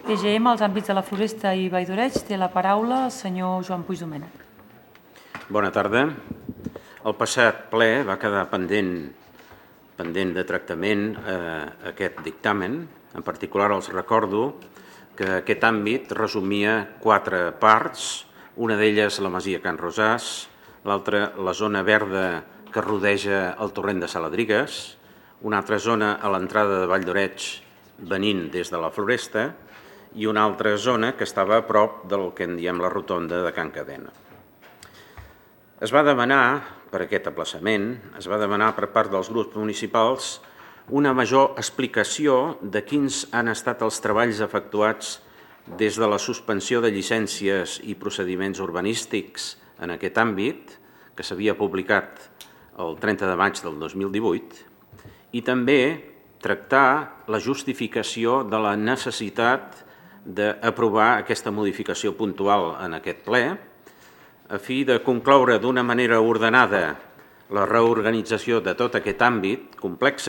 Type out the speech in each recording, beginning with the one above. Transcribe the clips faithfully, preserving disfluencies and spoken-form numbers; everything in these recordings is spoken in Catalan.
T G M als àmbits de la Floresta i Valldoreig. Té la paraula el senyor Joan Puig Domènech. Bona tarda. El passat ple va quedar pendent, pendent de tractament eh, aquest dictamen. En particular els recordo que aquest àmbit resumia quatre parts, una d'elles la masia Can Rosàs, l'altra la zona verda que rodeja el torrent de Saladrigues, una altra zona a l'entrada de Valldoreig venint des de la Floresta i una altra zona que estava a prop del que en diem la rotonda de Can Cadena. Es va demanar, per aquest aplaçament, es va demanar per part dels grups municipals una major explicació de quins han estat els treballs efectuats des de la suspensió de llicències i procediments urbanístics en aquest àmbit, que s'havia publicat el trenta de maig del dos mil divuit, i també tractar la justificació de la necessitat d'aprovar aquesta modificació puntual en aquest ple, a fi de concloure d'una manera ordenada la reorganització de tot aquest àmbit complex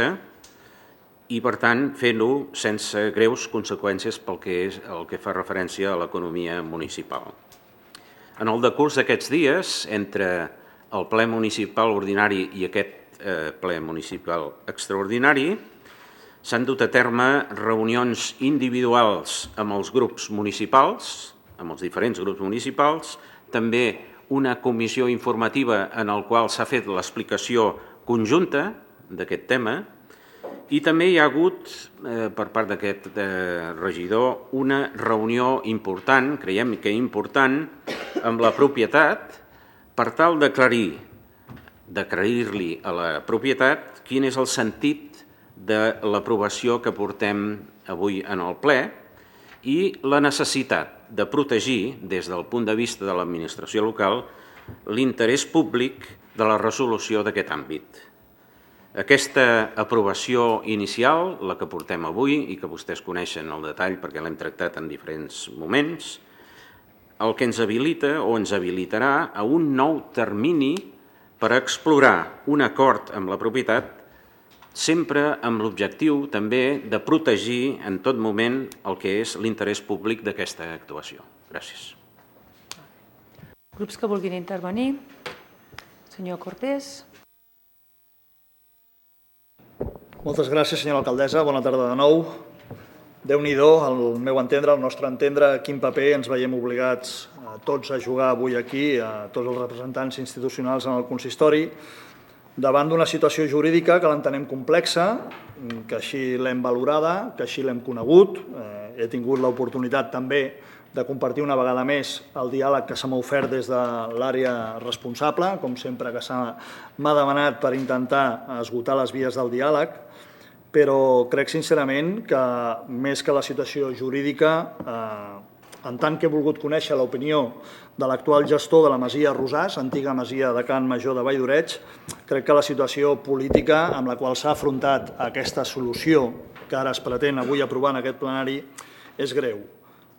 i, per tant, fent-ho sense greus conseqüències pel que és el que fa referència a l'economia municipal. En el decurs d'aquests dies, entre el ple municipal ordinari i aquest eh, ple municipal extraordinari, s'han dut a terme reunions individuals amb els grups municipals, amb els diferents grups municipals, també una comissió informativa en la qual s'ha fet l'explicació conjunta d'aquest tema, i també hi ha hagut, eh, per part d'aquest eh, regidor, una reunió important, creiem que important, amb la propietat per tal d'aclarir, d'aclarir-li a la propietat quin és el sentit de l'aprovació que portem avui en el ple i la necessitat de protegir, des del punt de vista de l'administració local, l'interès públic de la resolució d'aquest àmbit. Aquesta aprovació inicial, la que portem avui i que vostès coneixen el detall perquè l'hem tractat en diferents moments, el que ens habilita o ens habilitarà a un nou termini per explorar un acord amb la propietat, sempre amb l'objectiu també de protegir en tot moment el que és l'interès públic d'aquesta actuació. Gràcies. Grups que vulguin intervenir. Senyor Cortés. Moltes gràcies, senyora alcaldessa. Bona tarda de nou. Déu-n'hi-do, al meu entendre, al nostre entendre, quin paper ens veiem obligats a tots a jugar avui aquí, a tots els representants institucionals en el consistori, davant d'una situació jurídica que l'entenem complexa, que així l'hem valorada, que així l'hem conegut. He tingut l'oportunitat també de compartir una vegada més el diàleg que se m'ha ofert des de l'àrea responsable, com sempre que m'ha demanat per intentar esgotar les vies del diàleg, però crec sincerament que més que la situació jurídica, en tant que he volgut conèixer l'opinió de l'actual gestor de la masia Rosàs, antiga masia de Can Major de Valldoreig, crec que la situació política amb la qual s'ha afrontat aquesta solució que ara es pretén avui aprovar en aquest plenari és greu.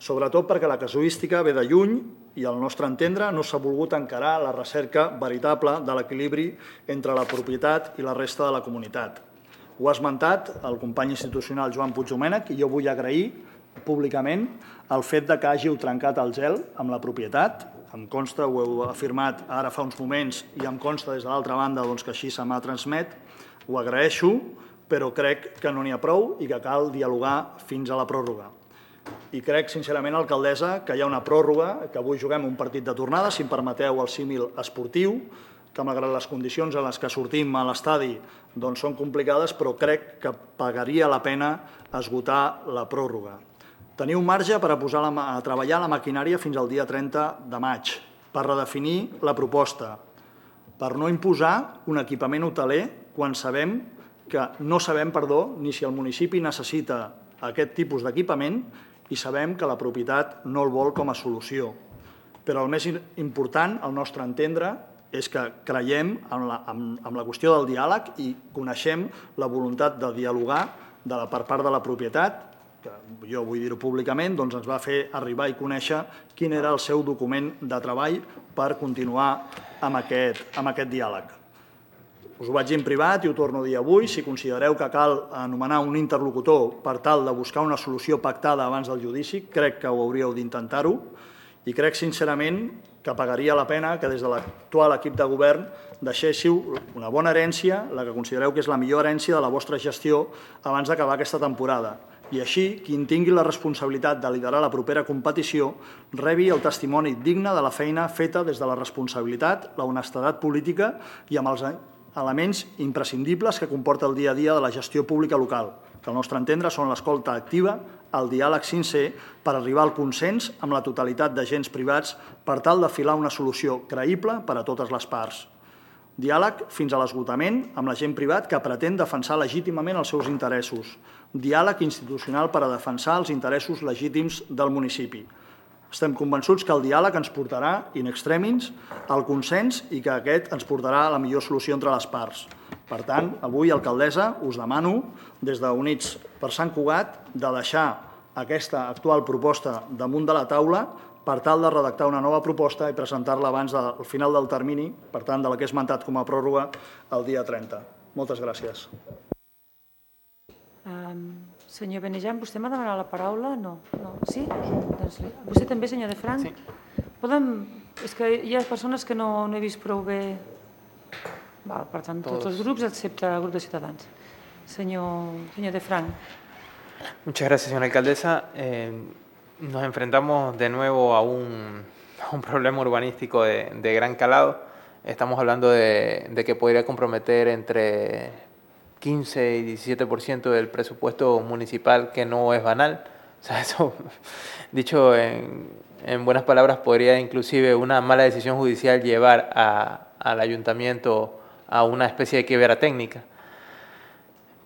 Sobretot perquè la casuística ve de lluny i, al nostre entendre, no s'ha volgut encarar la recerca veritable de l'equilibri entre la propietat i la resta de la comunitat. Ho ha esmentat el company institucional Joan Puig Domènech i jo vull agrair públicament el fet que hàgiu trencat el gel amb la propietat. Em consta, ho heu afirmat ara fa uns moments i em consta des de l'altra banda que així se m'ha transmet. Ho agraeixo, però crec que no n'hi ha prou i que cal dialogar fins a la pròrroga. I crec, sincerament, alcaldessa, que hi ha una pròrroga, que avui juguem un partit de tornada, si em permeteu el símil esportiu, que malgrat les condicions en les que sortim a l'estadi són complicades, però crec que pagaria la pena esgotar la pròrroga. Teniu marge per a posar a treballar la maquinària fins al dia trenta de maig, per redefinir la proposta, per no imposar un equipament hoteler quan sabem que no sabem, perdó, ni si el municipi necessita aquest tipus d'equipament i sabem que la propietat no el vol com a solució. Però el més important, al nostre entendre, és que creiem en la, en, en la qüestió del diàleg i coneixem la voluntat de dialogar de la, per part de la propietat, que jo vull dir-ho públicament, doncs ens va fer arribar i conèixer quin era el seu document de treball per continuar amb aquest, amb aquest diàleg. us ho vaig dir en privat i ho torno a dir avui, si considereu que cal anomenar un interlocutor per tal de buscar una solució pactada abans del judici, crec que ho hauríeu d'intentar-ho i crec sincerament que pagaria la pena que des de l'actual equip de govern deixéssiu una bona herència, la que considereu que és la millor herència de la vostra gestió abans d'acabar aquesta temporada. I així, qui en tingui la responsabilitat de liderar la propera competició rebi el testimoni digne de la feina feta des de la responsabilitat, la honestedat política i amb els elements imprescindibles que comporta el dia a dia de la gestió pública local, que al nostre entendre són l'escolta activa, el diàleg sincer per arribar al consens amb la totalitat d'agents privats per tal de filar una solució creïble per a totes les parts. Diàleg fins a l'esgotament amb la gent privat que pretén defensar legítimament els seus interessos. Diàleg institucional per a defensar els interessos legítims del municipi. Estem convençuts que el diàleg ens portarà, in extremis, al consens i que aquest ens portarà a la millor solució entre les parts. Per tant, avui, alcaldessa, us demano, des d'Units per Sant Cugat, de deixar aquesta actual proposta damunt de la taula per tal de redactar una nova proposta i presentar-la abans del final del termini, per tant, de la que he esmentat com a pròrroga el dia trenta. Moltes gràcies. Um, senyor Benejam, vostè m'ha demanat la paraula? No. no. Sí? Doncs, vostè també, senyor de Franc? Sí. Podem... És que hi ha persones que no, no he vist prou bé... Val, per tant, tots els grups, excepte el grup de Ciutadans. Señor, señor de Franc. Muchas gracias, señora alcaldesa. Eh, nos enfrentamos de nuevo a un, a un problema urbanístico de, de gran calado. Estamos hablando de, de que podría comprometer entre quince y diecisiete por ciento del presupuesto municipal, que no es banal. O sea, eso, dicho en, en buenas palabras, podría inclusive una mala decisión judicial llevar a, al ayuntamiento a una especie de quiebra técnica.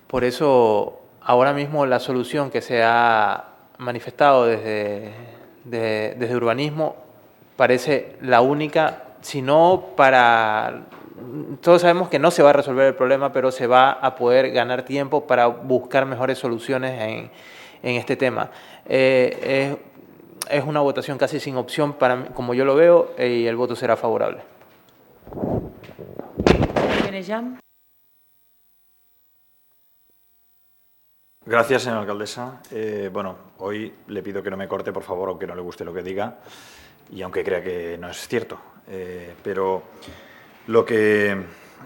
Por eso, ahora mismo la solución que se ha manifestado desde, de, desde urbanismo parece la única, si no para... Todos sabemos que no se va a resolver el problema, pero se va a poder ganar tiempo para buscar mejores soluciones en, en este tema. Eh, es, es una votación casi sin opción, para mí, como yo lo veo, y el voto será favorable. Gracias, señora alcaldesa. Eh, bueno, hoy le pido que no me corte, por favor, aunque no le guste lo que diga y aunque crea que no es cierto. Eh, pero lo que,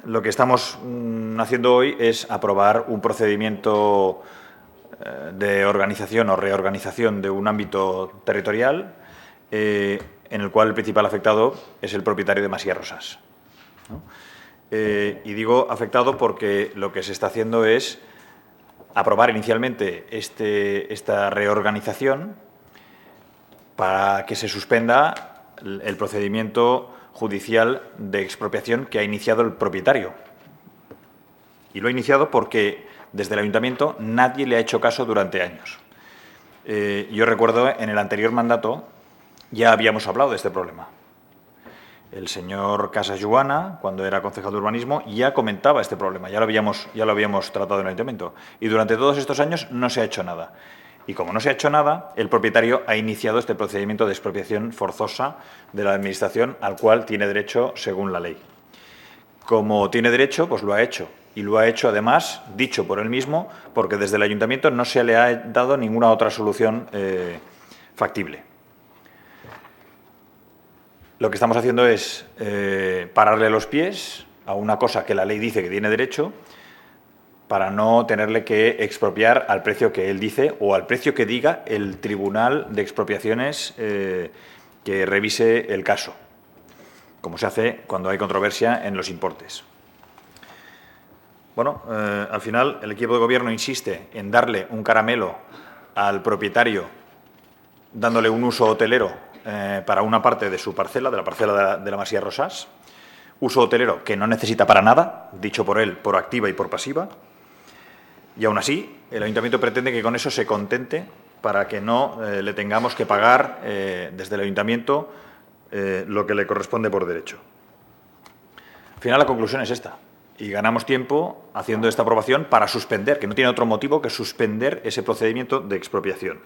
lo que estamos mm, haciendo hoy es aprobar un procedimiento eh, de organización o reorganización de un ámbito territorial eh, en el cual el principal afectado es el propietario de Masía Rosas, ¿no? Eh, y digo afectado porque lo que se está haciendo es aprobar inicialmente este, esta reorganización para que se suspenda el procedimiento judicial de expropiación que ha iniciado el propietario. Y lo ha iniciado porque desde el ayuntamiento nadie le ha hecho caso durante años. Eh, yo recuerdo en el anterior mandato ya habíamos hablado de este problema. El señor Casas Joana, cuando era concejal de urbanismo, ya comentaba este problema, ya lo habíamos, ya lo habíamos tratado en el ayuntamiento. Y durante todos estos años no se ha hecho nada. Y como no se ha hecho nada, el propietario ha iniciado este procedimiento de expropiación forzosa de la administración al cual tiene derecho según la ley. Como tiene derecho, pues lo ha hecho. Y lo ha hecho, además, dicho por él mismo, porque desde el ayuntamiento no se le ha dado ninguna otra solución eh, factible. Lo que estamos haciendo es eh, pararle los pies a una cosa que la ley dice que tiene derecho para no tenerle que expropiar al precio que él dice o al precio que diga el Tribunal de Expropiaciones eh, que revise el caso, como se hace cuando hay controversia en los importes. Bueno, eh, al final el equipo de gobierno insiste en darle un caramelo al propietario dándole un uso hotelero Eh, para una parte de su parcela, de la parcela de la, de la Masía Rosas, uso hotelero que no necesita para nada, dicho por él, por activa y por pasiva, y aún así el ayuntamiento pretende que con eso se contente para que no eh, le tengamos que pagar eh, desde el ayuntamiento eh, lo que le corresponde por derecho. Al final la conclusión es esta, y ganamos tiempo haciendo esta aprobación para suspender, que no tiene otro motivo que suspender ese procedimiento de expropiación.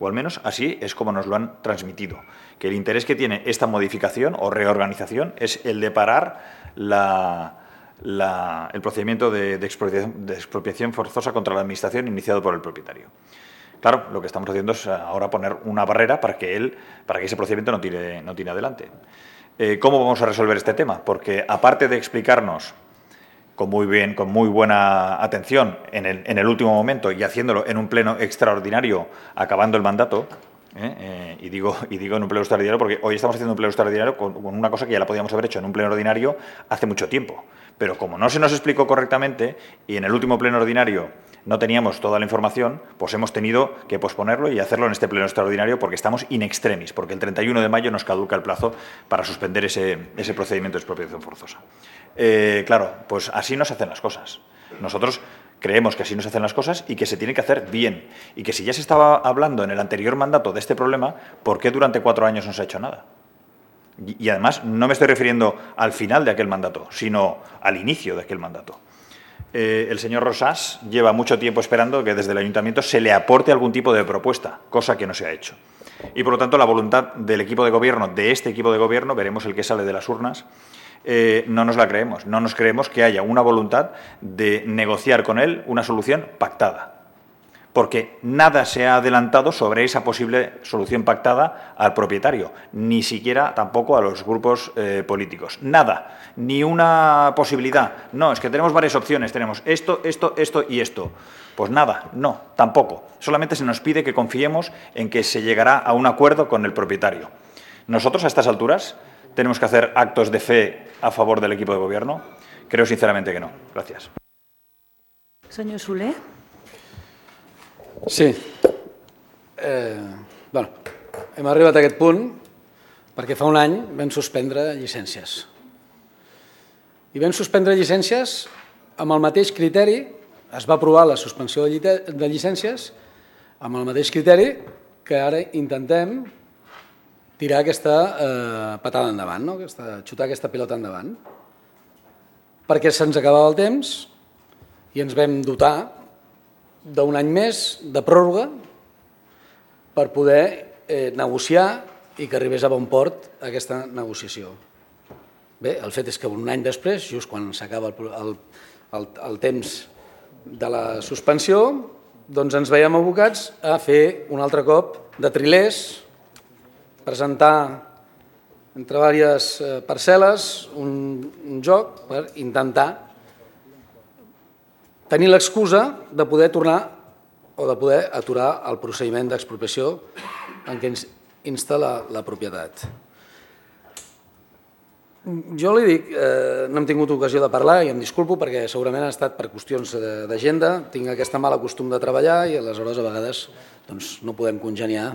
O al menos así es como nos lo han transmitido, que el interés que tiene esta modificación o reorganización es el de parar la, la, el procedimiento de, de, expropiación, de expropiación forzosa contra la Administración iniciado por el propietario. Claro, lo que estamos haciendo es ahora poner una barrera para que, él, para que ese procedimiento no tire, no tire adelante. Eh, ¿Cómo vamos a resolver este tema? Porque aparte de explicarnos con muy bien, con muy buena atención en el, en el último momento y haciéndolo en un pleno extraordinario, acabando el mandato, ¿eh? Eh, y, digo, y digo en un pleno extraordinario porque hoy estamos haciendo un pleno extraordinario con, con una cosa que ya la podíamos haber hecho en un pleno ordinario hace mucho tiempo. Pero como no se nos explicó correctamente y en el último pleno ordinario no teníamos toda la información, pues hemos tenido que posponerlo y hacerlo en este pleno extraordinario porque estamos in extremis, porque el treinta y uno de mayo nos caduca el plazo para suspender ese, ese procedimiento de expropiación forzosa. Eh, claro, pues así no se hacen las cosas. Nosotros creemos que así no se hacen las cosas y que se tiene que hacer bien. Y que si ya se estaba hablando en el anterior mandato de este problema, ¿por qué durante cuatro años no se ha hecho nada? Y, y además no me estoy refiriendo al final de aquel mandato, sino al inicio de aquel mandato. Eh, el señor Rosás lleva mucho tiempo esperando que desde el Ayuntamiento se le aporte algún tipo de propuesta, cosa que no se ha hecho. Y, por lo tanto, la voluntad del equipo de gobierno, de este equipo de gobierno, veremos el que sale de las urnas, eh, no nos la creemos. No nos creemos que haya una voluntad de negociar con él una solución pactada. Porque nada se ha adelantado sobre esa posible solución pactada al propietario, ni siquiera tampoco a los grupos eh, políticos. Nada, ni una posibilidad. No, es que tenemos varias opciones, tenemos esto, esto, esto y esto. Pues nada, no, tampoco. Solamente se nos pide que confiemos en que se llegará a un acuerdo con el propietario. Nosotros, a estas alturas, tenemos que hacer actos de fe a favor del equipo de gobierno. Creo sinceramente que no. Gracias. Senyor Soler. Sí. Eh, bueno, hem arribat a aquest punt perquè fa un any vam suspendre llicències. I vam suspendre llicències amb el mateix criteri, es va aprovar la suspensió de llicències amb el mateix criteri que ara intentem tirar aquesta eh, patada endavant, no? aquesta, xutar aquesta pilota endavant. Perquè se'ns acabava el temps i ens vam dotar d'un any més de pròrroga per poder eh, negociar i que arribés a bon port aquesta negociació. Bé, el fet és que un any després, just quan s'acaba el, el, el, el temps de la suspensió, doncs ens veiem abocats a fer un altre cop de trilers, presentar entre diverses parcel·les un, un joc per intentar tenir l'excusa de poder tornar o de poder aturar el procediment d'expropiació en què ens insta la, la propietat. Jo li dic, eh, no hem tingut ocasió de parlar i em disculpo perquè segurament ha estat per qüestions d'agenda, tinc aquesta mala costum de treballar i aleshores a vegades doncs, no podem congeniar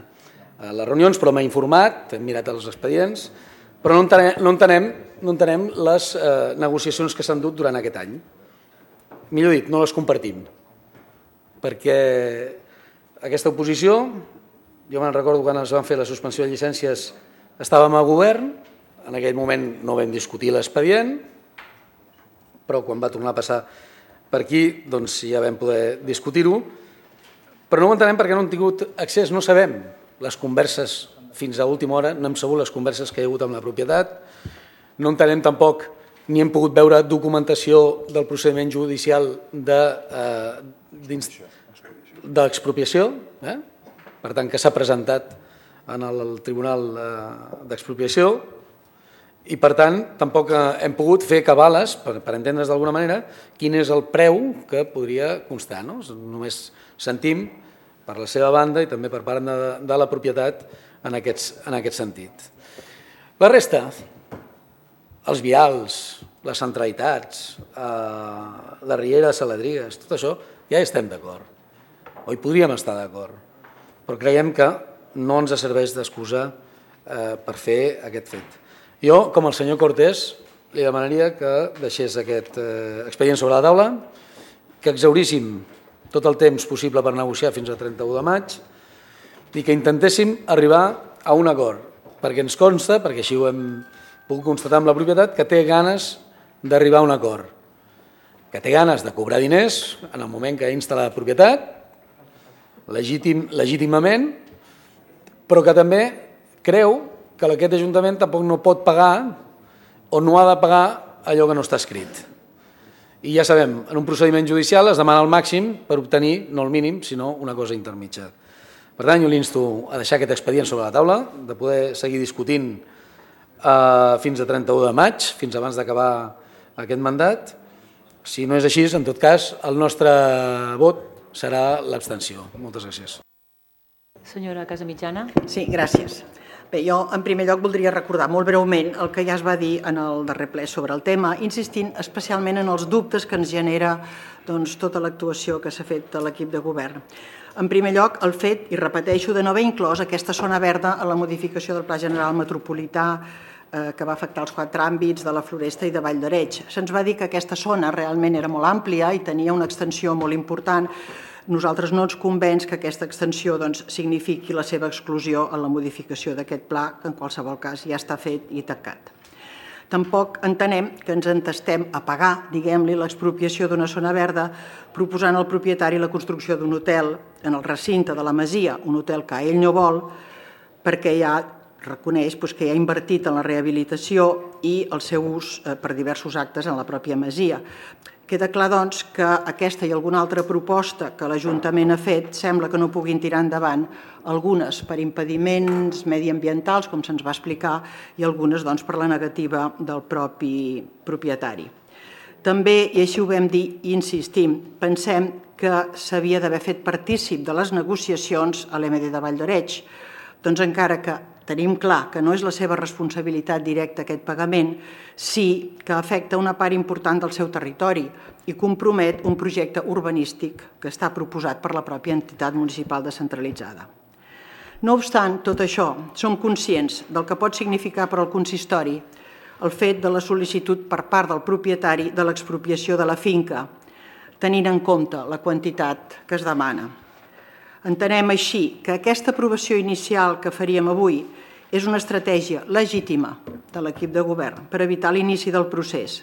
a les reunions, però m'ha informat, hem mirat els expedients, però no entenem, no entenem, no entenem les eh, negociacions que s'han dut durant aquest any. Millor dit, no les compartim, perquè aquesta oposició, jo me'n recordo quan es van fer la suspensió de llicències, estàvem a govern, en aquell moment no vam discutir l'expedient, però quan va tornar a passar per aquí doncs ja vam poder discutir-ho, però no ho entenem perquè no hem tingut accés, no sabem les converses fins a última hora, no hem sabut les converses que hi ha hagut amb la propietat, no entenem tampoc ni hem pogut veure documentació del procediment judicial d'expropiació, de, eh? per tant que s'ha presentat en el Tribunal d'Expropiació i per tant tampoc hem pogut fer cabales, per, per entendre's d'alguna manera, quin és el preu que podria constar. No? Només sentim per la seva banda i també per part de, de la propietat en aquest, en aquest sentit. La resta, els vials, les centralitats, eh, la riera de Saladrigues, tot això ja hi estem d'acord. O hi podríem estar d'acord, però creiem que no ens serveix d'excusa eh, per fer aquest fet. Jo, com el senyor Cortés, li demanaria que deixés aquest eh, expedient sobre la taula, que exhauríssim tot el temps possible per negociar fins al trenta-u de maig i que intentéssim arribar a un acord, perquè ens consta, perquè així ho hem puc constatar amb la propietat, que té ganes d'arribar a un acord, que té ganes de cobrar diners en el moment que insta la propietat, legítim, legítimament, però que també creu que aquest Ajuntament tampoc no pot pagar o no ha de pagar allò que no està escrit. I ja sabem, en un procediment judicial es demana el màxim per obtenir, no el mínim, sinó una cosa intermitja. Per tant, jo l'insto a deixar aquest expedient sobre la taula, de poder seguir discutint eh, fins a trenta-u de maig, fins abans d'acabar aquest mandat. Si no és així, en tot cas, el nostre vot serà l'abstenció. Moltes gràcies. Senyora Casamitjana. Sí, gràcies. Bé, jo en primer lloc voldria recordar molt breument el que ja es va dir en el darrer ple sobre el tema, insistint especialment en els dubtes que ens genera doncs, tota l'actuació que s'ha fet de l'equip de govern. En primer lloc, el fet, i repeteixo, de no haver inclòs aquesta zona verda en la modificació del Pla General Metropolità eh, que va afectar els quatre àmbits de la Floresta i de Vall d'Areig. Se'ns va dir que aquesta zona realment era molt àmplia i tenia una extensió molt important. Nosaltres no ens convenç que aquesta extensió doncs, signifiqui la seva exclusió en la modificació d'aquest pla, que en qualsevol cas ja està fet i tancat. Tampoc entenem que ens entestem a pagar, diguem-li, l'expropiació d'una zona verda proposant al propietari la construcció d'un hotel en el recinte de la masia, un hotel que ell no vol, perquè ja reconeix doncs, que ja ha invertit en la rehabilitació i el seu ús eh, per diversos actes en la pròpia masia. Queda clar, doncs, que aquesta i alguna altra proposta que l'Ajuntament ha fet sembla que no puguin tirar endavant, algunes per impediments mediambientals, com se'ns va explicar, i algunes doncs, per la negativa del propi propietari. També, i així ho vam dir i insistim, pensem que s'havia d'haver fet partícip de les negociacions a l'M D de Vall d'Areig. Doncs encara que tenim clar que no és la seva responsabilitat directa aquest pagament, sí que afecta una part important del seu territori i compromet un projecte urbanístic que està proposat per la pròpia entitat municipal descentralitzada. No obstant tot això, som conscients del que pot significar per al consistori el fet de la sol·licitud per part del propietari de l'expropiació de la finca, tenint en compte la quantitat que es demana. Entenem així que aquesta aprovació inicial que faríem avui és una estratègia legítima de l'equip de govern per evitar l'inici del procés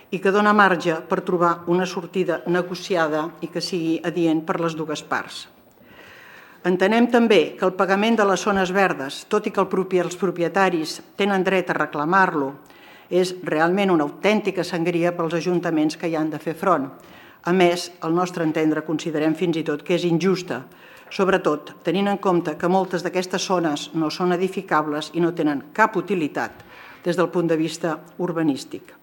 i que dona marge per trobar una sortida negociada i que sigui adient per les dues parts. Entenem també que el pagament de les zones verdes, tot i que els propietaris tenen dret a reclamar-lo, és realment una autèntica sangria pels ajuntaments que hi han de fer front. A més, al nostre entendre, considerem fins i tot que és injusta, sobretot tenint en compte que moltes d'aquestes zones no són edificables i no tenen cap utilitat des del punt de vista urbanístic.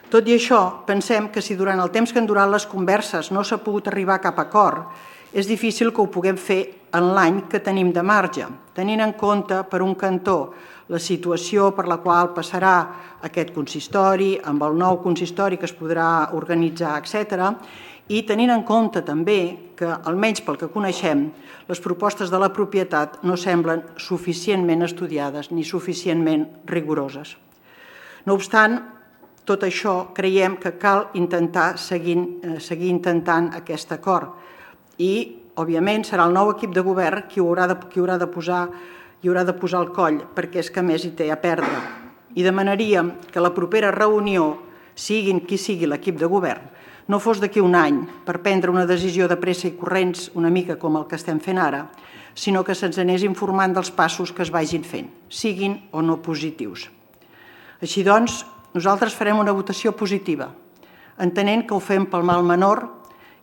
Tot i això, pensem que si durant el temps que han durat les converses no s'ha pogut arribar a cap acord, és difícil que ho puguem fer en l'any que tenim de marge, tenint en compte, per un cantó, la situació per la qual passarà aquest consistori, amb el nou consistori que es podrà organitzar, etcètera, i tenint en compte també que, almenys pel que coneixem, les propostes de la propietat no semblen suficientment estudiades ni suficientment rigoroses. No obstant, tot això creiem que cal intentar seguir, seguir intentant aquest acord i, òbviament, serà el nou equip de govern qui haurà de, qui haurà de posar, hi haurà de posar el coll, perquè és que més hi té a perdre. I demanaríem que la propera reunió, siguin qui sigui l'equip de govern, no fos d'aquí un any per prendre una decisió de pressa i corrents, una mica com el que estem fent ara, sinó que se'ns anés informant dels passos que es vagin fent, siguin o no positius. Així doncs, nosaltres farem una votació positiva, entenent que ho fem pel mal menor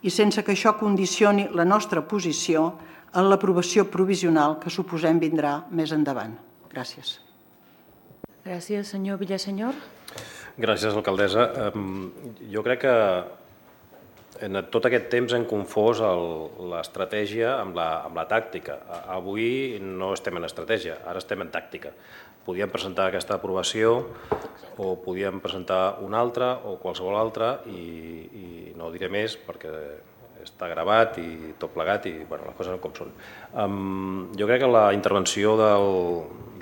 i sense que això condicioni la nostra posició en l'aprovació provisional que suposem vindrà més endavant. Gràcies. Gràcies, senyor Villasenyor. Gràcies, alcaldessa. Jo crec que en tot aquest temps hem confós l'estratègia amb la, amb la tàctica. Avui no estem en estratègia, ara estem en tàctica. Podíem presentar aquesta aprovació o podíem presentar una altra o qualsevol altra i, i no diré més perquè està gravat i tot plegat i bueno, les coses com són. Um, jo crec que la intervenció del,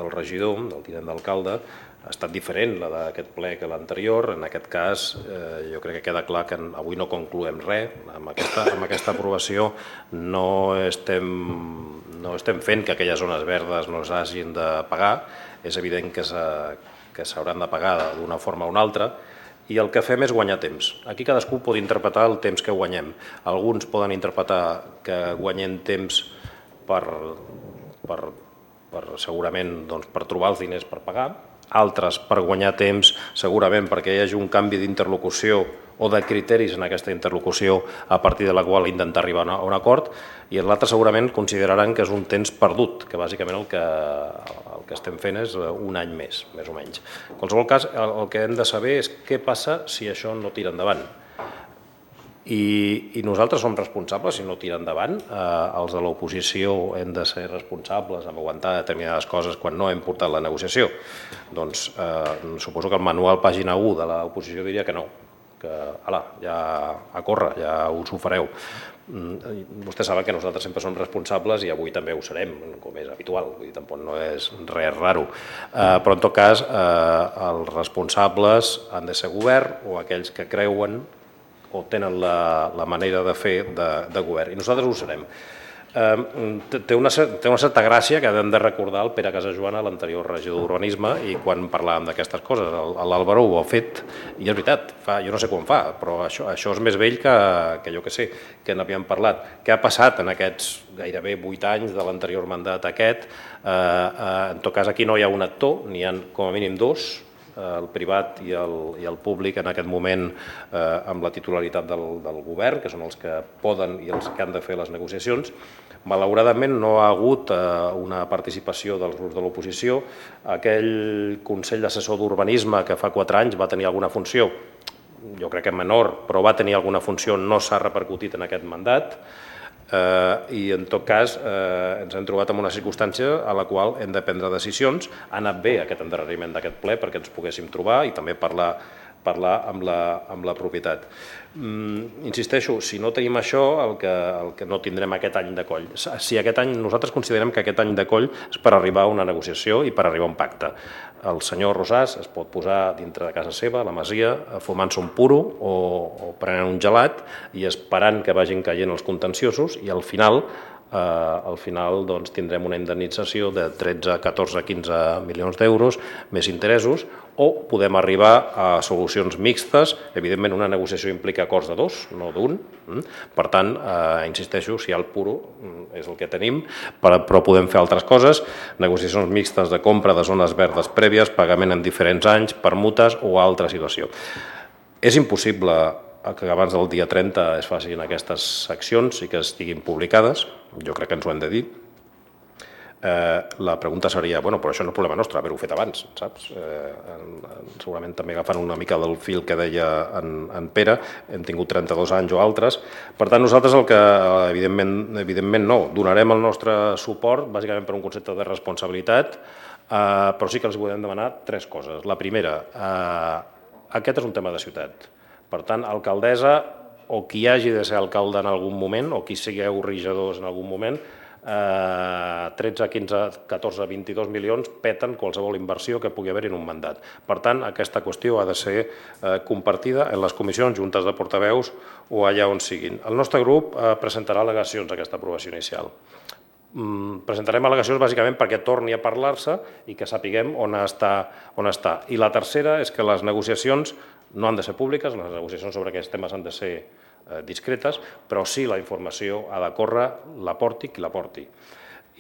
del regidor, del tinent d'alcalde, ha estat diferent, la d'aquest ple que l'anterior. En aquest cas, eh, jo crec que queda clar que avui no concloem res. Amb aquesta, amb aquesta aprovació no estem, no estem fent que aquelles zones verdes no s'hagin de pagar. És evident que s'hauran de pagar d'una forma o una altra. I el que fem és guanyar temps. Aquí cadascú pot interpretar el temps que guanyem. Alguns poden interpretar que guanyem temps per, per, per segurament doncs, per trobar els diners per pagar, altres per guanyar temps segurament perquè hi hagi un canvi d'interlocució o de criteris en aquesta interlocució a partir de la qual intentar arribar a un acord, i l'altre segurament consideraran que és un temps perdut, que bàsicament el que, el que estem fent és un any més, més o menys. En qualsevol cas, el, el que hem de saber és què passa si això no tira endavant. I, i nosaltres som responsables si no tira endavant. Eh, els de l'oposició hem de ser responsables en aguantar determinades coses quan no hem portat la negociació. Doncs eh, suposo que el manual pàgina u de l'oposició diria que no, que ala, ja a córrer, ja us ho fareu. Vostè sap que nosaltres sempre som responsables i avui també ho serem, com és habitual, vull dir, tampoc no és res raro. Eh, però en tot cas, eh, els responsables han de ser govern o aquells que creuen o tenen la, la manera de fer de, de govern, i nosaltres ho serem. Eh, té, una, té una certa gràcia que hem de recordar el Pere Casajoana, l'anterior regidor d'Urbanisme, i quan parlàvem d'aquestes coses, l'Àlvaro ho ha fet, i és veritat, fa, jo no sé quan fa, però això, això és més vell que, que jo que sé, que n'havíem parlat. Què ha passat en aquests gairebé vuit anys de l'anterior mandat aquest? Eh, eh, en tot cas, aquí no hi ha un actor, n'hi ha com a mínim dos, el privat i el, i el públic en aquest moment eh, amb la titularitat del, del govern, que són els que poden i els que han de fer les negociacions. Malauradament no ha hagut eh, una participació dels grups de l'oposició. Aquell Consell Assessor d'Urbanisme que fa quatre anys va tenir alguna funció, jo crec que menor, però va tenir alguna funció, no s'ha repercutit en aquest mandat. Uh, i en tot cas uh, ens hem trobat en una circumstància a la qual hem de prendre decisions. Ha anat bé aquest endarreriment d'aquest ple perquè ens poguéssim trobar i també parlar, parlar amb, la, amb la propietat. Mm, insisteixo, si no tenim això, el que, el que no tindrem aquest any de coll. Si aquest any, nosaltres considerem que aquest any de coll és per arribar a una negociació i per arribar a un pacte. El senyor Rosàs es pot posar dintre de casa seva, a la masia, fumant-se un puro o, o prenent un gelat i esperant que vagin caient els contenciosos, i al final eh, al final doncs, tindrem una indemnització de tretze, catorze, quinze milions d'euros més interessos, o podem arribar a solucions mixtes. Evidentment, una negociació implica acords de dos, no d'un. Per tant, eh, insisteixo, si hi ha el puro és el que tenim, però podem fer altres coses, negociacions mixtes de compra de zones verdes prèvies, pagament en diferents anys, permutes o altra situació. És impossible que abans del dia trenta es facin aquestes accions i que estiguin publicades, jo crec que ens ho hem de dir. Eh, la pregunta seria, bueno, però això no és problema nostre, haver-ho fet abans, saps? Eh, segurament també agafant una mica del fil que deia en, en Pere, hem tingut trenta-dos anys o altres. Per tant, nosaltres el que, evidentment, evidentment no, donarem el nostre suport, bàsicament per un concepte de responsabilitat, eh, però sí que els podem demanar tres coses. La primera, eh, aquest és un tema de ciutat. Per tant, alcaldessa, o qui hagi de ser alcalde en algun moment, o qui sigueu regidors en algun moment, Eh, tretze, quinze, catorze, vint-i-dos milions peten qualsevol inversió que pugui haver en un mandat. Per tant, aquesta qüestió ha de ser eh, compartida en les comissions, juntes de portaveus o allà on siguin. El nostre grup eh, presentarà al·legacions a aquesta aprovació inicial. Mm, presentarem al·legacions bàsicament perquè torni a parlar-se i que sapiguem on està, on està. I la tercera és que les negociacions no han de ser públiques, les negociacions sobre aquests temes han de ser discretes, però sí la informació ha de córrer, la porti qui la porti.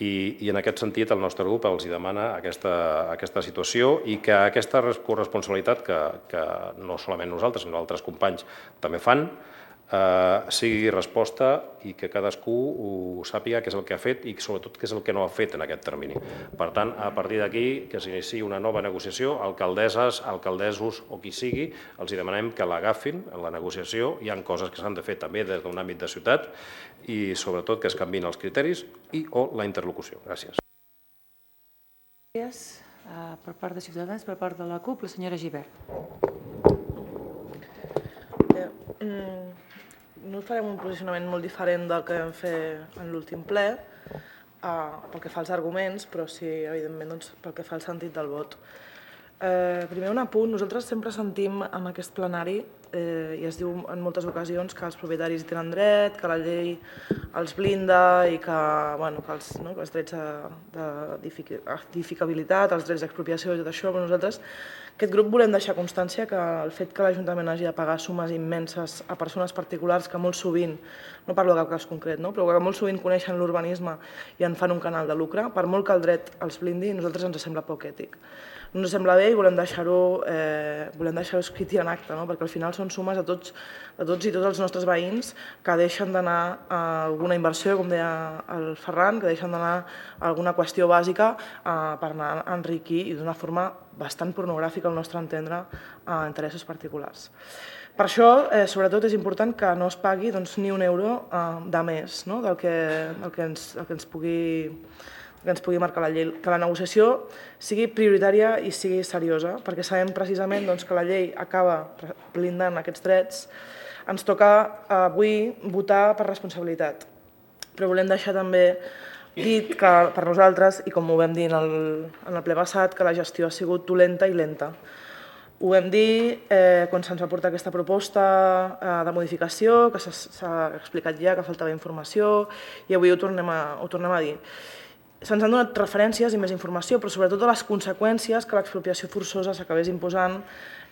I, i en aquest sentit el nostre grup els demana aquesta, aquesta situació i que aquesta corresponsabilitat que, que no solament nosaltres, sinó altres companys també fan, eh, sigui resposta i que cadascú ho sàpiga què és el que ha fet i sobretot què és el que no ha fet en aquest termini. Per tant, a partir d'aquí, que s'iniciï una nova negociació, alcaldesses, alcaldessos o qui sigui, els demanem que l'agafin en la negociació. Hi ha coses que s'han de fer també des d'un àmbit de ciutat i sobretot que es canviïn els criteris i o la interlocució. Gràcies. Gràcies. Per part de Ciutadans, per part de la CUP, la senyora Gibert. No farem un posicionament molt diferent del que vam fer en l'últim ple, pel que fa als arguments, però sí, evidentment, pel que fa al sentit del vot. Primer un apunt, nosaltres sempre sentim en aquest plenari, i es diu en moltes ocasions que els propietaris hi tenen dret, que la llei els blinda i que els drets d'edificabilitat, els drets d'expropiació i tot això, però nosaltres, aquest grup, volem deixar constància que el fet que l'Ajuntament hagi de pagar sumes immenses a persones particulars que molt sovint, no parlo de cap cas concret, però que molt sovint coneixen l'urbanisme i en fan un canal de lucre, per molt que el dret els blindi, a nosaltres ens sembla poc ètic. No ens sembla bé i volem deixar-ho escrit i en acte, perquè al final són sumes de tots, de tots i tots els nostres veïns que deixen d'anar a alguna inversió, com deia el Ferran, que deixen d'anar a alguna qüestió bàsica eh, per anar a enriquir i d'una forma bastant pornogràfica, al nostre entendre, a interessos particulars. Per això, eh, sobretot, és important que no es pagui doncs, ni un euro eh, de més, no? del, que, del que ens, el que ens pugui... que ens pugui marcar la llei, que la negociació sigui prioritària i sigui seriosa, perquè sabem precisament doncs, que la llei acaba blindant aquests drets. Ens toca avui votar per responsabilitat, però volem deixar també dit que per nosaltres, i com ho vam dir en el, en el ple passat, que la gestió ha sigut dolenta i lenta. Ho vam dir eh, quan se'ns va portar aquesta proposta eh, de modificació, que s'ha explicat ja que faltava informació, i avui ho tornem a, ho tornem a dir. Se'ns han donat referències i més informació, però sobretot de les conseqüències que l'expropiació forçosa s'acabés imposant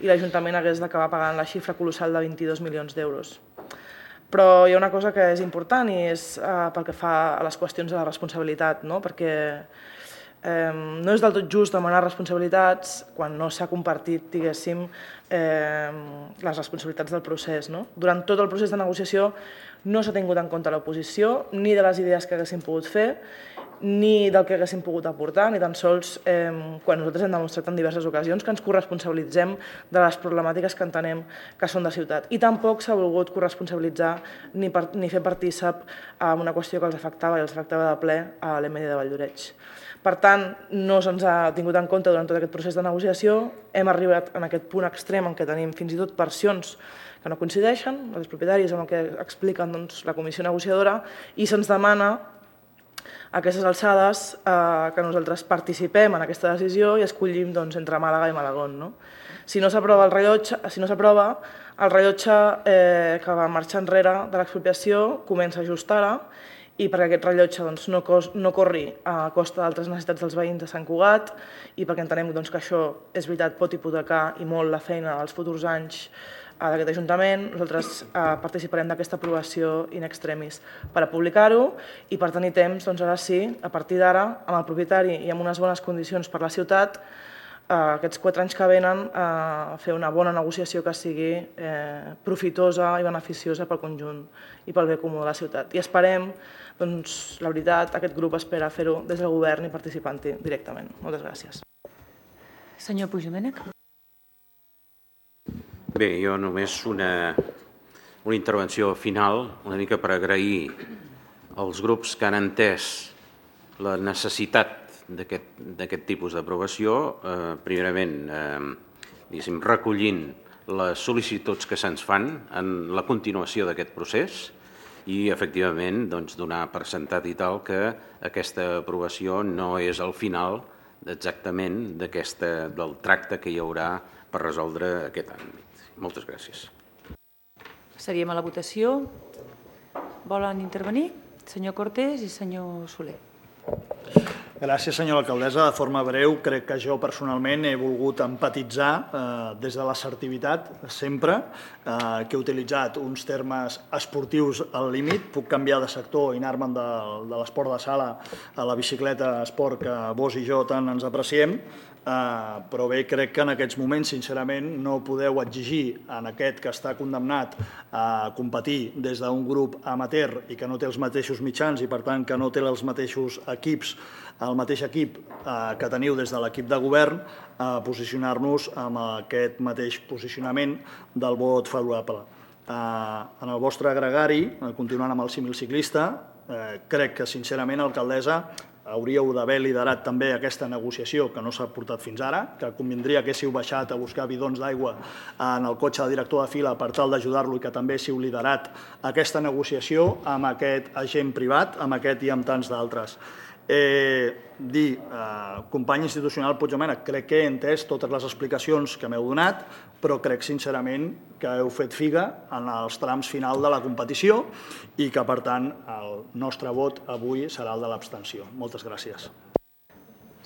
i l'Ajuntament hagués d'acabar pagant la xifra colossal de vint-i-dos milions d'euros. Però hi ha una cosa que és important i és eh, pel que fa a les qüestions de la responsabilitat, no? Perquè eh, no és del tot just demanar responsabilitats quan no s'ha compartit, diguéssim, eh, les responsabilitats del procés. No? Durant tot el procés de negociació no s'ha tingut en compte l'oposició, ni de les idees que haguéssim pogut fer, ni del que haguéssim pogut aportar, ni tan sols eh, quan nosaltres hem demostrat en diverses ocasions que ens corresponsabilitzem de les problemàtiques que entenem que són de ciutat. I tampoc s'ha volgut corresponsabilitzar ni, per, ni fer partícip en una qüestió que els afectava i els afectava de ple a l'M D de Valldoreix. Per tant, no se'ns ha tingut en compte durant tot aquest procés de negociació, hem arribat en aquest punt extrem en què tenim fins i tot versions que no coincideixen, els propietaris amb el que expliquen doncs, la comissió negociadora, i se'ns demana a aquestes alçades eh, que nosaltres participem en aquesta decisió i escollim doncs, entre Màlaga i Malagón. No? Si no s'aprova el rellotge, si no s'aprova, el rellotge eh, que va marxar enrere de l'expropiació comença a just ara, i perquè aquest rellotge doncs, no, cos, no corri a costa d'altres necessitats dels veïns de Sant Cugat i perquè entenem doncs, que això és veritat pot hipotecar i molt la feina dels futurs anys d'aquest Ajuntament, nosaltres eh, participarem d'aquesta aprovació in extremis per a publicar-ho i per tenir temps, doncs ara sí, a partir d'ara, amb el propietari i amb unes bones condicions per la ciutat, eh, aquests quatre anys que venen, eh, fer una bona negociació que sigui eh, profitosa i beneficiosa pel conjunt i pel bé comú de la ciutat. I esperem, doncs, la veritat, aquest grup espera fer-ho des del govern i participant-hi directament. Moltes gràcies. Senyor Puigdomènech. Bé, jo només una, una intervenció final, una mica per agrair als grups que han entès la necessitat d'aquest tipus d'aprovació, eh, primerament eh, recollint les sol·licituds que se'ns fan en la continuació d'aquest procés i, efectivament, doncs, donar per sentat i tal que aquesta aprovació no és el final exactament del tracte que hi haurà per resoldre aquest àmbit. Moltes gràcies. Passaríem a la votació. Volen intervenir? Senyor Cortés i senyor Soler. Gràcies, senyora alcaldessa. De forma breu, crec que jo personalment he volgut empatitzar eh, des de l'assertivitat sempre, eh, que he utilitzat uns termes esportius al límit. Puc canviar de sector i anar-me'n de, de l'esport de sala a la bicicleta esport que vos i jo tant ens apreciem. Uh, però bé, crec que en aquests moments, sincerament, no podeu exigir en aquest que està condemnat a competir des d'un grup amateur i que no té els mateixos mitjans i, per tant, que no té els mateixos equips, el mateix equip uh, que teniu des de l'equip de govern, a uh, posicionar-nos amb aquest mateix posicionament del vot favorable. Uh, en el vostre agregari, continuant amb el símil ciclista, uh, crec que, sincerament, alcaldessa, hauríeu d'haver liderat també aquesta negociació que no s'ha portat fins ara, que convindria que haguéssiu baixat a buscar bidons d'aigua en el cotxe del director de fila per tal d'ajudar-lo i que també haguéssiu liderat aquesta negociació amb aquest agent privat, amb aquest i amb tants d'altres. Eh, dir, eh, company institucional Puigdomènech, crec que he entès totes les explicacions que m'heu donat, però crec sincerament que heu fet figa en els trams final de la competició i que, per tant, el nostre vot avui serà el de l'abstenció. Moltes gràcies.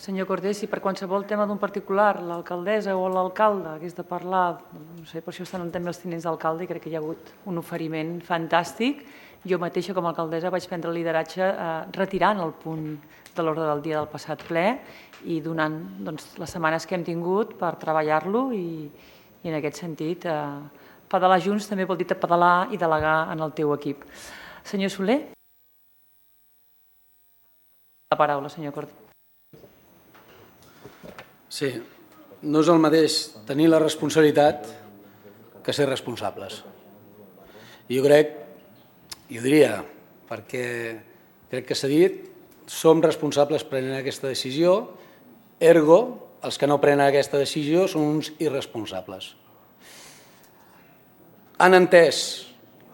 Senyor Cortés, si per qualsevol tema d'un particular, l'alcaldessa o l'alcalde hagués de parlar, no sé, per això estan també els tinents d'alcalde i crec que hi ha hagut un oferiment fantàstic. Jo mateixa, com a alcaldessa, vaig prendre el lideratge eh, retirant el punt de l'ordre del dia del passat ple i donant doncs, les setmanes que hem tingut per treballar-lo i, i en aquest sentit eh, pedalar junts també vol dir pedalar i delegar en el teu equip. Senyor Soler? La paraula, senyor Cortés. Sí, no és el mateix tenir la responsabilitat que ser responsables. Jo crec, i ho diria, perquè crec que s'ha dit, som responsables prenent aquesta decisió, ergo, els que no prenen aquesta decisió són uns irresponsables. Han entès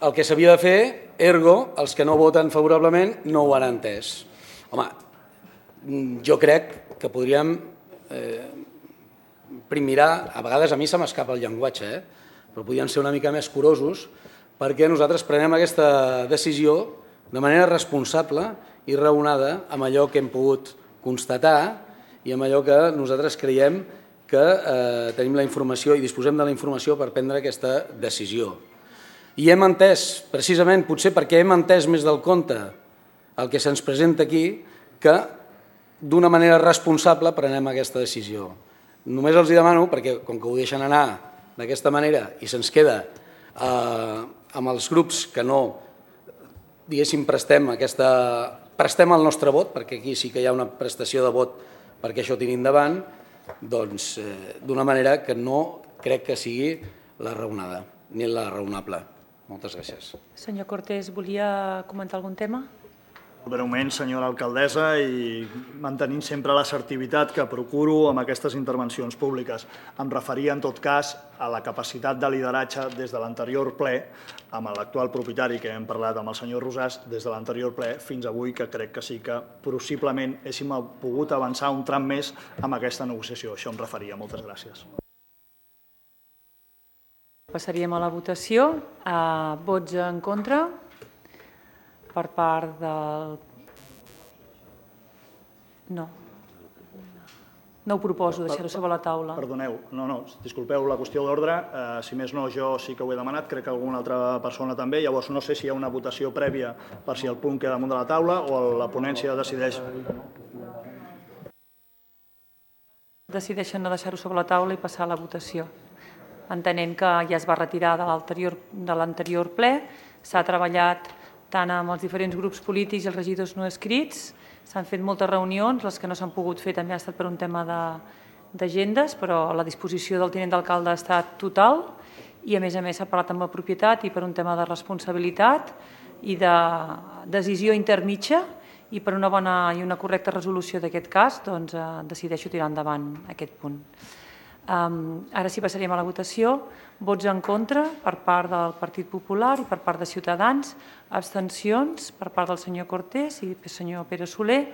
el que s'havia de fer, ergo, els que no voten favorablement no ho han entès. Home, jo crec que podríem eh, primirar, a vegades a mi se m'escapa el llenguatge, eh? però podríem ser una mica més curosos perquè nosaltres prenem aquesta decisió de manera responsable i raonada amb allò que hem pogut constatar i amb allò que nosaltres creiem que eh, tenim la informació i disposem de la informació per prendre aquesta decisió. I hem entès, precisament, potser perquè hem entès més del compte el que se'ns presenta aquí, que d'una manera responsable prenem aquesta decisió. Només els demano, perquè com que ho deixen anar d'aquesta manera i se'ns queda eh, amb els grups que no, diguéssim, prestem aquesta... prestem el nostre vot, perquè aquí sí que hi ha una prestació de vot perquè això tiri endavant, doncs eh, d'una manera que no crec que sigui la raonada, ni la raonable. Moltes gràcies. Senyor Cortés, volia comentar algun tema? Breument, senyora alcaldessa, i mantenint sempre l'assertivitat que procuro amb aquestes intervencions públiques. Em referia, en tot cas, a la capacitat de lideratge des de l'anterior ple, amb l'actual propietari que hem parlat amb el senyor Rosàs, des de l'anterior ple fins avui, que crec que sí que possiblement héssim pogut avançar un tram més amb aquesta negociació. Això em referia. Moltes gràcies. Passaríem a la votació. A vots en contra per part del... No. No ho proposo, deixar-ho sobre la taula. Perdoneu, no, no, disculpeu la qüestió d'ordre. Eh, si més no, jo sí que ho he demanat, crec que alguna altra persona també. Llavors, no sé si hi ha una votació prèvia per si el punt queda damunt de la taula o la ponència decideix... Decideixen no deixar-ho sobre la taula i passar a la votació. Entenent que ja es va retirar de l'anterior ple, s'ha treballat tant amb els diferents grups polítics i els regidors no escrits, s'han fet moltes reunions, les que no s'han pogut fer també ha estat per un tema d'agendes, però la disposició del tinent d'alcalde ha estat total i a més a més s'ha parlat amb la propietat i per un tema de responsabilitat i de decisió intermitja i per una bona i una correcta resolució d'aquest cas, doncs eh, decideixo tirar endavant aquest punt. Um, ara sí passaríem a la votació. Vots en contra per part del Partit Popular i per part de Ciutadans. Abstencions per part del senyor Cortés i del senyor Pere Soler.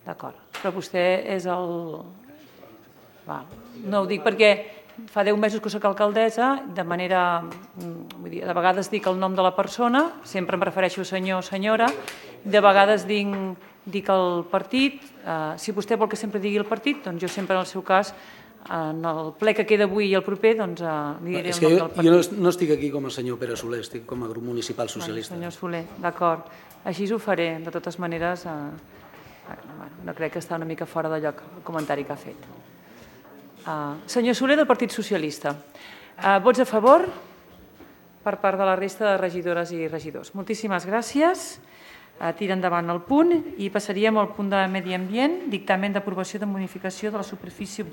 D'acord, però vostè és el... Va, no ho dic perquè fa deu mesos que soc alcaldessa, de manera... Vull dir, de vegades dic el nom de la persona, sempre em refereixo a senyor o senyora, de vegades dic... dic el partit, eh, si vostè vol que sempre digui el partit, doncs jo sempre en el seu cas, en el ple que queda avui i el proper, doncs eh, li diré el nom del partit. Jo no, no estic aquí com a senyor Pere Soler, estic com a grup municipal socialista. Bueno, senyor Soler, d'acord. Així ho faré, de totes maneres, eh, bueno, no crec que està una mica fora de lloc el comentari que ha fet. Uh, senyor Soler, del Partit Socialista. Uh, vots a favor per part de la resta de regidores i regidors. Moltíssimes gràcies. Tira endavant el punt i passaríem al punt de medi ambient, dictamen d'aprovació de modificació de la superfície objectiva